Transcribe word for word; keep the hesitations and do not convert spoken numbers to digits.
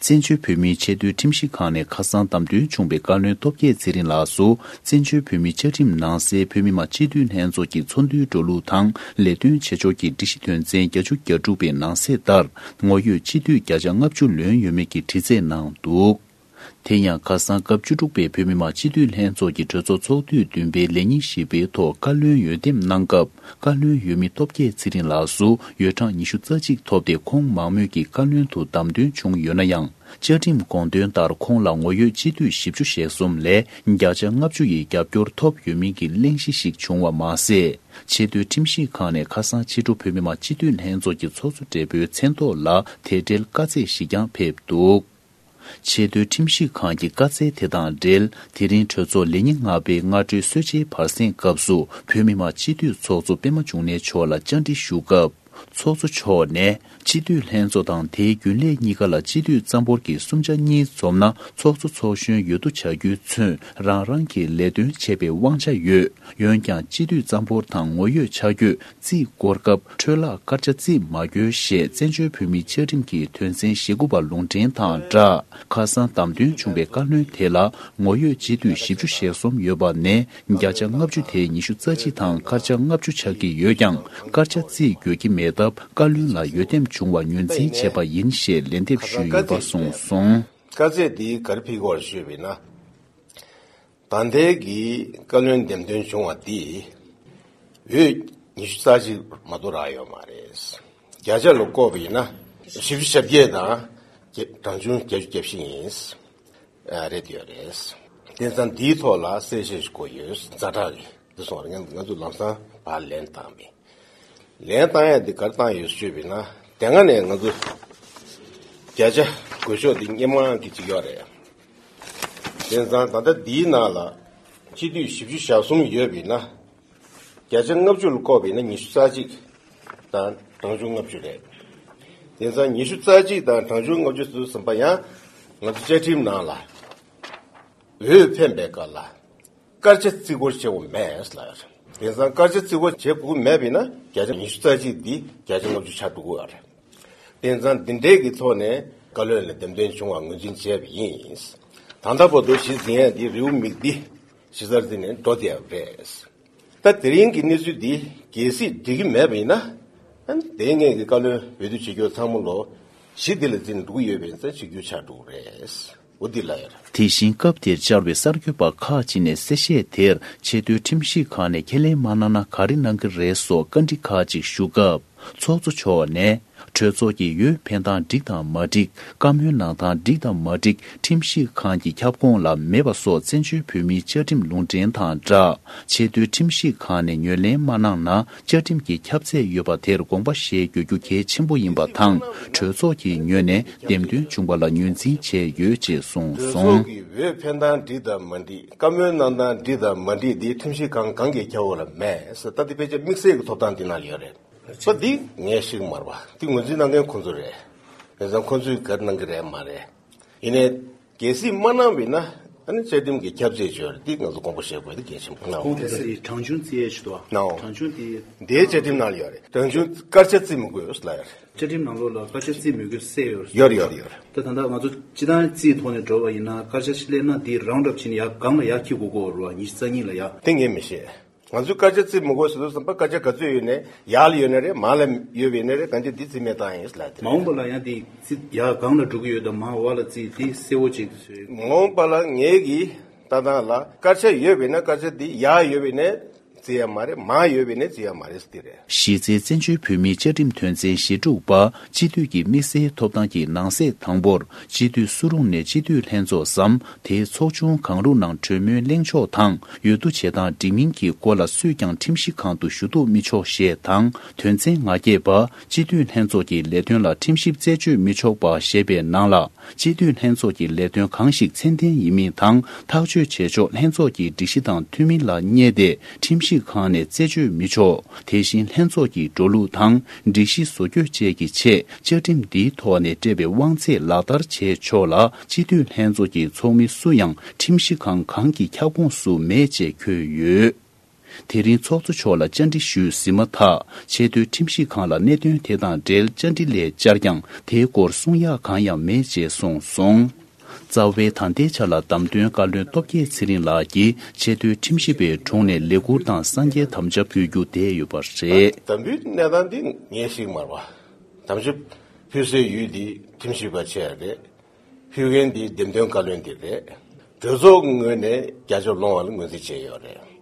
བཙན་བྱོལ་བོད་མིའི་ཆེས་མཐོའི་ཁྲིམས་ཞིབ་ཁང་ནས་ཁ་སང་བདམས་ཐོན་བྱུང་བའི་བཀའ་བློན་སྟོབས་རྒྱས་ཚེ་རིང་ལགས་སུ། བཙན་བྱོལ་བོད་མིའི་བཅའ་ཁྲིམས་ནང་གསལ་བོད་མི་མང་སྤྱི་འཐུས་ལྷན་ཚོགས་ཀྱི་ཚོགས་འདུའི་འགྲོ་ལུགས་དང་ལས་དོན་བྱེད་ཕྱོགས་ཀྱི་སྒྲིག་གཞི་དོན་ཚན་བརྒྱད་ཅུ་གྱ་དྲུག་པའི་ནང་གསལ་ལྟར། ངོ་ཡོད་སྤྱི་འཐུས་བརྒྱ་ཆ་ལྔ་བཅུ་ལོན་ཡོད་མེད་ཀྱི་དྲི་རྩད་གནང་འདུག་དེ་ཡང་ཁ་སང་སྐབས་བཅུ་དྲུག་པའི་བོད་མི་མང་སྤྱི་འཐུས་ལྷན་ཚོགས་ཀྱི་གྲོས་ཚོགས་ཚོགས་དུས་བདུན་པའི་ལས་ཉིན་བཞི་པའི་ཐོག་བཀའ་བློན་འོས་འདེམས་གནང་སྐབས། བཀའ་བློན་འོས་མི་སྟོབས་རྒྱས་ཚེ་རིང་ལགས་སུ་འོས་གྲངས་ཉི་ཤུ་རྩ་གཅིག་ཐོབ་སྟེ། ཁོང་མང་མོས་ཀྱིས་བཀའ་བློན་དུ་བདམས་ཐོན་བྱུང་ཡོད་ན་ཡང་། བཅའ་ཁྲིམས་དགོངས་དོན་ལྟར་ཁོང་ལ་ངོ་ཡོད་སྤྱི་འཐུས་བཞི་བཅུ་ཞེ་གསུམ་ལས་བརྒྱ་ཆ་ལྔ་བཅུ་ཡི་རྒྱབ་སྐྱོར་ཐོབ་ཡོད་མིན་གྱི་གླེང་གཞི་ཞིག་བྱུང་བ་མ་ཟད། ཆེས་མཐོའི་ཁྲིམས་ཞིབ་ཁང་ནས་ཁ་སང་ཕྱི་དྲོ་བོད་མི་མང་སྤྱི་འཐུས་ལྷན་ཚོགས་ཀྱི་ཚོགས་གཙོ་སྦྲེལ་པོའི་མཚན་ཐོག་ལ་དེ་འབྲེལ་བཀའ་སྩལ་ཞིག་ཀྱང་ཕེབས་འདུག་ཆེས་མཐོའི་ཁྲིམས་ཞིབ་ཁང་གི་བཀའ་སྩལ་དེ་དང་འབྲེལ། དེ་རིང་གྲོས་ཚོགས་ལས་ཉིན་ལྔ་པའི་སྔ་དྲོའི་གསོལ་ཇའི་བར་གསེང་སྐབས་སུ་བོད་མི་མང་སྤྱི་འཐུས་ཚོགས་གཙོ་པད་མ་འབྱུང་གནས་མཆོག་ལ་བཅར་འདྲི་ཞུ་སྐབས། ཚོགས་གཙོ་མཆོག་ནས་སྤྱི་འཐུས་ལྷན་ཚོགས་དང་དེའི་རྒྱུན་ལས་གཉིས་ཀ་ལ་སྤྱི་འཐུས་རྩ་འབོར་གྱི་གསུམ་ཆ་གཉིས་འཛོམས་ན་ཚོགས་གཙོ་ཚོགས་གཞོན་འོས་བསྡུ་བྱ་རྒྱུས་མཚོན་རང་རང་གི་ལས་དོན་བྱེད་པའི་དབང་ཆ་ཡོད། འོན་ཀྱང་སྤྱི་འཐུས་རྩ་འབོར་དང་ངོ་ཡོད་ཆ་བགོས། རྩིས་སྐོར་སྐབས་འཕྲོས་བརླག་སྐར་ཆ་རྩིས་མ་དགོས་ཞེས་བཙན་བྱོལ་བོད་མིའི་བཅའ་ཁྲིམས་ཀྱི་དོན་ཚན་ཞེ་དགུ་པ་ལུང་འདྲེན་དང་སྦྲགས། ཁ་སང་བདམས་ཐོན་བྱུང་བའི་བཀའ་བློན་དེ་ལ་ངོ་ཡོད་སྤྱི་འཐུས་བཞི་བཅུ་ཞེ་གསུམ་ཡོད་པ་ནས་བརྒྱ་ཆ་ལྔ་བཅུ་དེ་ཉི་ཤུ་རྩ་གཅིག་དང་སྐར་ཆ་ལྔ་བཅུ་ཆགས་ཀྱི་ཡོད་ཀྱང་། སྐར་ཆ་རྩིས་དགོས་ཀྱི་མེད་སྟབས། བཀའ་བློན་ལ་འོས་འདེམས་བྱུང་བ་ངོས་འཛིན་བྱས་པ་ཡིན་ཞེས་ལན་འདེབས་ཞུས་ཡོད་པ་གསུངས་སོང་། དཀའ་ཚེགས་འདི་ག་རེ་ཕིག་གོ་བར་ཞུས་པས་ན། ད་ལྟའི་གི་བཀའ་བློན་འདེམས་ཐོན་བྱུང་བ་འདི་འོས་ཉི་ཤུ་རྩ་གཅིག་མ་གཏོགས་རག་ཡོད་མ་རེད། བརྒྱ་ཆ་ལ་བཀོད་པ་ཡིན་ན་བཞི་བཅུ་ཞེ་བརྒྱད་དང་གྲངས་ཆུང་བརྒྱད་ཅུ་གྱ་བཞི་ཡིན། རེད་ཡོད་རེད། དེ་ཙང་འདིའི་ཐོག་ལ་གསལ་བཤད་ཞིག་དགོས་ཡོད། ཛ་དྲག་གི་འདི་སོང་བ་རེད། ང་ང་ཚོ་ལམ་སང་ཕར་ལན་བཏང་མེད། ལན་བཏང་ཡ་འདི་ག་རེ་བཏང་ཡོད་ཞུས་པས་ན། དེ་སྔ་ནས་ང་ཚོ་བརྒྱ་ཆ་དགོས་ཤོག་འདི་སྔོན་མ་གི་ཅིག་ཡོད་རེད། དེ་ཙང་ད་ལྟ་འདིའི་ནང་ལ་སྤྱི་འཐུས་བཞི་བཅུ་ཞེ་གསུམ་ཡོད་པས་ན། བརྒྱ་ཆ་ལྔ་བཅུ་ལ་བཀོད་པས་ན་ཉི་ཤུ་རྩ་གཅིག་དང་གྲངས་ཆུང་ལྔ་བཅུ་རེད། དེ་ཙང་ཉི་ཤུ་རྩ་གཅིག་དང་གྲངས་ཆུང་ལྔ་བཅུ་ཟེར་དུས་ཙམ་པ་ཡང་ང་ཚོ་བཅའ་ཁྲིམས་ནང་ལ་འོས་འཕེན་པའི་སྐབས་ལ་སྐར་ཆ་རྩིས་སྐོར་བྱེད་དགོས་མེད་ལབ་ཡོད་རེད། དེང་སང་སྐར་ཆ་རྩིས་སྐོར་བྱེད་དགོས་མེད་པས་ན་བརྒྱ་ཆ་ཉི་ཤུ་རྩ་གཅིག་འདི་བརྒྱ་ཆ་ལྔ་བཅུ་ཆགས་འགྲོ་གི་ཡོད་རེད། དེང་སང་འདི་འདྲའི་གི་ཐོག་ནས་བཀའ་བློན་ལ་འདེམས་ཐོན་བྱུང་བ་ངོས་འཛིན་བྱས་པ་ཡིན། ད་ལྟ་བར་དུ་གཞི་འཛིན་ཡས་འདི་རེའུ་མིག་འདི་གཞི་རྩར་འཛིན་ནས་འགྲོ་བསྡད་ཡོད་རེད། ད་དེ་རིང་གི་གནས་ཚུལ་འདི་གལ་སྲིད་འགྲིག་གི་མེད་པ་ཡིན་ན། ཨ་ནི་དེ་སྔོན་གྱི་བཀའ་བློན་འོས་བསྡུ་བྱེད་རྒྱུ་ཚང་མ་ལོ་གཞི་འདི་ལ་འཛིན་འགྲོ་གི་ཡོད་པའི་ཚེ་བྱེད་རྒྱུ་ཆགས་འགྲོ་གི་རེད། འོ་འདི་ལ་ཡོད་རེད། དེ་བཞིན་སྐབས་དེར་བཅར་བའི་གསར་འགོད་པ་ཁག་ཅིག་ནས་གསལ་བཤད་དེར་ཆེས་མཐོའི་ཁྲིམས་ཞིབ་ཁང་ནས་ཁས་ལེན་མ་གནང་ན་ག་རེ་གནང་གི་རེད་སོགས་བཀའ་འདྲི་ཁག་ཅིག་ཞུ་སྐབས། ཚོགས་གཙོ་མཆོག་ནས་གྲོས་ཚོགས་ཀྱི་འོས་འཕེན་སྟངས་འགྲིག་དང་མ་འགྲིག་བཀའ་མོལ་གནང་སྟངས་འགྲིག་དང་མ་འགྲིག་ཁྲིམས་ཞིབ་ཁང་གི་ཁྱབ་ཁོངས་ལ་མེད་པ་སོགས་བཙན་བྱོལ་བོད་མིའི་བཅའ་ཁྲིམས་ལུང་འདྲེན་དང་སྦྲགས། ཆེས་མཐོའི་ཁྲིམས་ཞིབ་ཁང་ནས་ངོས་ལེན་མ་གནང་ན་བཅའ་ཁྲིམས་ཀྱི་ཁྱབ་ཚད་ཡོད་པ་དེར་དགོངས་པ་བཞེས་དགོས་རྒྱུ་གལ་ཆེན་པོ་ཡིན་པ་དང་། གྲོས་ཚོགས་ཀྱི་ངོས་ནས་འདེམས་ཐོན་བྱུང་བ་ལ་ངོས་འཛིན་བྱས་ཡོད་ཅེས་གསུངས་གྲོས་སོང་། ཚོགས་ཀྱི་འོས་འཕེན་སྟངས་འགྲིག་དང་མ་འགྲིག་བཀའ་མོལ་གནང་སྟངས་འགྲིག་དང་མ་འགྲིག་འདི་ཁྲིམས་ཞིབ་ཁང་གང་གི་ཁྱབ་ཁོངས་ལ་མེད་ཟེར། ད་འདི་ཕལ་ཆེར་དམིགས་བསལ་གྱི་ཐོབ་ཐང་འདི་ནང་ལ་ཡོད་རེད། ས་འདི་ངས་ཤེས་ཀྱི་མ་རེད་པ། འདི་ངོས་འཛིན་གནང་མཁན་ཁོང་ཚོ་རེད། དེ་ཙང་ཁོང་ཚོས་ག་རེ་གནང་གི་རེད་མ་རེད། ཡིན་ནའི་གལ་སྲིད་མ་གནང་བས་ན་ཨ་ནི་བཅའ་ཁྲིམས་ཀྱི་ཁྱབ་ཚད་ཡོད་རེད། འདི་ང་ཚོ་དགོངས་པ་བཞེས་དགོས་འདི་གལ་ཆེན་པོ་གནང་། ཁོང་དེ་ཚོ་ཡི་གྲངས་ཆུང་རྩིས་ཡས་ཞུ་དོ། གནང་། གྲངས་ཆུང་དེ་འདིའི་བཅའ་ཁྲིམས་ནང་ལ་ཡོད་རེད། གྲངས་ཆུང་སྐར་ཆ་རྩིས་མི་དགོས་ལབ་ཡོད་རེད། བཅའ་ཁྲིམས་ནང་ལོགས་ལ་སྐར་ཆ་རྩིས་མི་དགོས་གསལ་ཡོད་རེད། ཡོད་རེད་ཡོད་རེད་ཡོད་རེད། ད་ད་ལྟ་ང་ཚོ་སྤྱི་བཏང་རྩིས་ཐོག་ནས་འགྲོ་བ་ཡིན་ན་སྐར་ཆ་ཞིག་སླེབས་ན་འདི་རའུན་ཌི་ཨབ་བྱས་ནས་ཡར་སྒང་ལ་ཡར་འཁྱེར་དགོས་ཀྱི་ཡོད་རེད་པ། ཉི་ཤུ་རྩ་གཉིས་ལ་ཡར། དེ་ངས་མི་ཤེས། ང་ཚོས་སྐར་ཆ་རྩིས་མི་དགོས་ཟེར་དུས་ཙམ་པ་སྐར་ཆ་ག་ཚོད་ཡོད་ནའི་ཡར་ལ་ཡོད་ནའི་རེད། མར་ལ་ཡོད་པ་ཡིན་ནའི་རེད། གང་ཅི་འདི་རྩིས་མེད་བཏང་ཡིན་ལབ་དེ་མ་འོངས་པ་ལ་ཡང་དེ་རྩིས་ཡར་སྒང་ལ་འགྲོ་གི་ཡོད་དམ་མར་འོག་ལ་རྩིས་དེ་གསལ་བོ་ཅིག་བཟོས། མ་འོངས་པ་ལ་ངེད་ཀྱི་ལྟ་སྟངས་ལ་སྐར་ཆ་ཡོད་པ་ཡིན་ན་སྐར་ཆ་འདི་ཡར་ཡོད་པ་ཡིན་ནའི་རྩིས་ཡ་མ་རེད། མར་ཡོད་པ་ཡིན་ནའི་རྩིས་ཡ་མ་རེད་ཟེར་དེ་རེད། གཞི་རྩའི་བཙན་བྱོལ་བོད་མིའི་བཅའ་ཁྲིམས་དོན་ཚན་ཞེ་དྲུག་པ་སྤྱི་འཐུས་ཀྱི་དམིགས་བསལ་ཐོབ་ཐང་གི་ནང་གསེས་དང་པོར་སྤྱི་འཐུས་སུ་རུང་ནས་སྤྱི་འཐུས་ལྷན་ཚོགས་སམ་དེའི་ཚོགས་ཆུང་གང་རུང་ནང་གྲོས་མོལ་གླེང་ཕྱོགས་དང་། འོས་བསྡུ་བྱེད་སྟངས་འགྲིག་མིན་གྱི་སྐོར་ལ་སུས་ཀྱང་ཁྲིམས་ཞིབ་ཁང་དུ་ཞུ་གཏུག་མི་ཆོག་ཞེས་དང་། དོན་ཚན་ང་བརྒྱད་པ། སྤྱི་འཐུས་ལྷན་ཚོགས་ཀྱི་ལས་དོན་ལ་ཁྲིམས་ཞིབ་རྩད་གཅོད་མི་ཆོག་པ་ཞེས་པའི་ནང་ལ། སྤྱི་འཐུས་ལྷན་ཚོགས་ཀྱི་ལས་དོན་གང་ཞིག་ཚད་ལྡན་ཡིན་མིན་དང་ཐག་གཅོད་བྱེད་ཕྱོགས་ལྷན་ཚོགས་ཀྱི་སྒྲིག་གཞི་དང་མཐུན་མིན་ལ་བསྙད་དེ་ཁྲིམས་ཞིབ་ཁང་ནས་རྩད་གཅོད་མི་ཆོག་དེ་བཞིན་ལྷན་ཚོགས་ཀྱི་འགྲོ་ལུགས་དང་སྒྲིག་གཞི་བཟོ་བཀོད་བཅས་ཀྱི་ཆེད། བཅའ་ཁྲིམས་འདིའི་ཐོག་ནས་སྤྲད་པའི་དབང་ཚད་ལག་བསྟར་བྱེད་ཆོག་ལ། སྤྱི་འཐུས་ལྷན་ཚོགས་ཀྱི་ཚོགས་མི་སུ་ཡང་ཁྲིམས་ཞིབ་ཁང་གང་གི་ཁྱབ་ཁོངས་སུ་མེད་ཅེས་འཁོད་ཡོད། དེ་རིང་ཚོགས་གཙོ་མཆོག་ལ་བཅར་འདྲི་ཞུས་ཟིན་མ་ཐག་ཆེས་མཐོའི་ཁྲིམས་ཞིབ་ཁང་ལ་གནད་དོན་དེ་དང་འབྲེལ་བཅར་འདྲི་སླད་བཅར་ཀྱང་དེའི་སྐོར་གསུང་ཡག་གང་ཡང་མེད་ཅེས་གསུངས་སོང་། རྩ་བའི་ད་ལྟའི་ཆ་ལ་བདམས་ཐོན་བཀའ་བློན་སྟོབས་རྒྱས་ཚེ་རིང་ལགས་ཀྱིས་ཆེས་མཐོའི་ཁྲིམས་ཞིབ་པའི་དྲུང་ནས་ལས་ཁུར་དང་གསང་རྒྱའི་དམ་བཅའ་ཕུལ་རྒྱུ་བསྡད་ཡོད་པ་རེད། དམ་འབུལ་གནས་སྟངས་འདི་ངས་ཤེས་ཀྱི་མ་རེད་པ། དམ་བཅའ་ཕུལ་སའི་ཡུལ་འདི་ཁྲིམས་ཞིབ་པ་བྱས་རེད། ཕུལ་མཁན་འདི་འདེམས་ཐོན་བཀའ་བློན་འདི་རེད། གྲོས་ཚོགས་ངོས་ནས་རྒྱབ་སྐྱོར་སློང་བ་ལ་ངོས་འཛིན་བྱས་ཡོད་རེད།